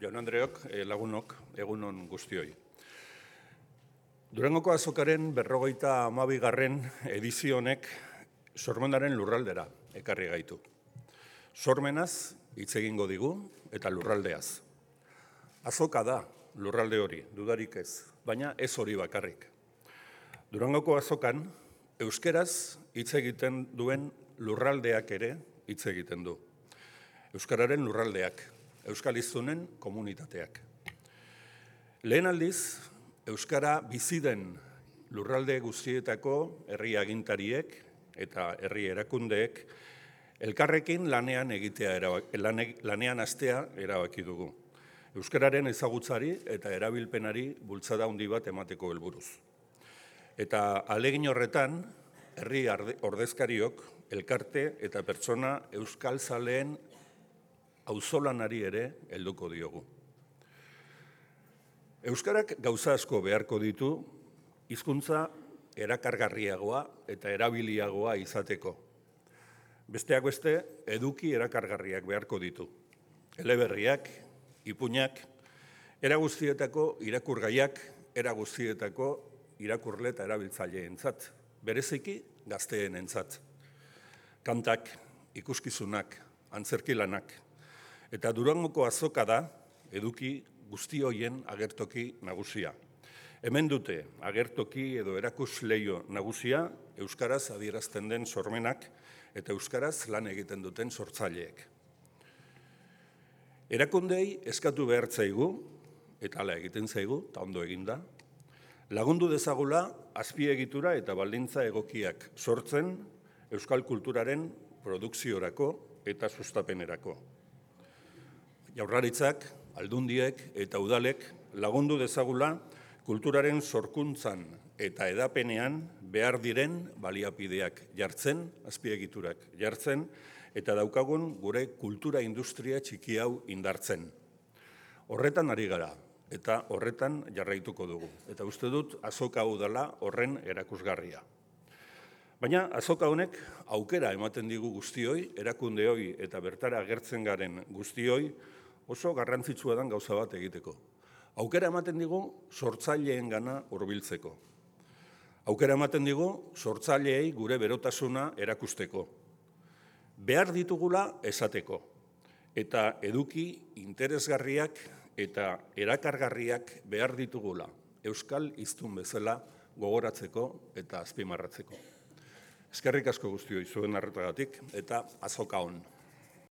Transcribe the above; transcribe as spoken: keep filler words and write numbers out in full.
jaun Andreok, lagunok, egunon guztioi. Durangoko azokaren berrogeita hamabigarren edizio honek sormenaren lurraldera ekarri gaitu. Sormenaz hitz egingo digu eta lurraldeaz. Azoka da lurralde hori, dudarik ez, baina ez hori bakarrik. Durangoko azokan euskeraz hitz egiten duen lurraldeak ere hitz egiten du. Euskararen lurraldeak, euskaliztunen komunitateak. Lehen aldiz, euskara bizi den lurralde guztietako herri agintariek eta herri erakundeek elkarrekin lanean egitea lanean hastea erabaki dugu. Euskararen ezagutzari eta erabilpenari bultzada handi bat emateko helburuz. Eta ahalegin horretan, herri ordezkariok, elkarte eta pertsona euskalzaleen auzolanari ere helduko diogu. Euskarak gauza asko beharko ditu hizkuntza erakargarriagoa eta erabiliagoa izateko. Besteak beste, eduki erakargarriak beharko ditu. Eleberriak, ipuinak, era guztietako irakurgaiak, era guztietako irakurle eta erabiltzaileentzat, bereziki gazteenentzat. Kantak, ikuskizunak, antzerkilanak, eta Durangoko azoka da eduki guzti horien agertoki nagusia. Hemen dute agertoki edo erakusleio nagusia euskaraz adierazten den sormenak eta euskaraz lan egiten duten sortzaileek. Erakundei eskatu behar zaigu, eta hala egiten zaigu, eta ondo eginda, lagundu dezagula azpiegitura eta baldintza egokiak sortzen euskal kulturaren produkziorako eta sustapenerako. Jaurlaritzak, aldundiek eta udalek lagundu dezagula kulturaren sorkuntzan eta edapenean behar diren baliapideak jartzen, azpiegiturak jartzen, eta daukagun gure kultura industria txiki hau indartzen. Horretan ari gara, eta horretan jarraituko dugu. Eta uste dut azoka hau dela horren erakusgarria. Baina azoka honek aukera ematen digu guztioi, erakundeoi eta bertara agertzen garen guztioi, oso garrantzitsua den gauza bat egiteko. Aukera ematen digu sortzaileengana hurbiltzeko. Aukera ematen digu sortzaileei gure berotasuna erakusteko. Behar ditugula esateko. Eta eduki interesgarriak eta erakargarriak behar ditugula euskal hiztun bezala gogoratzeko eta azpimarratzeko. Eskerrik asko guztioi zuen arretagatik eta azoka on.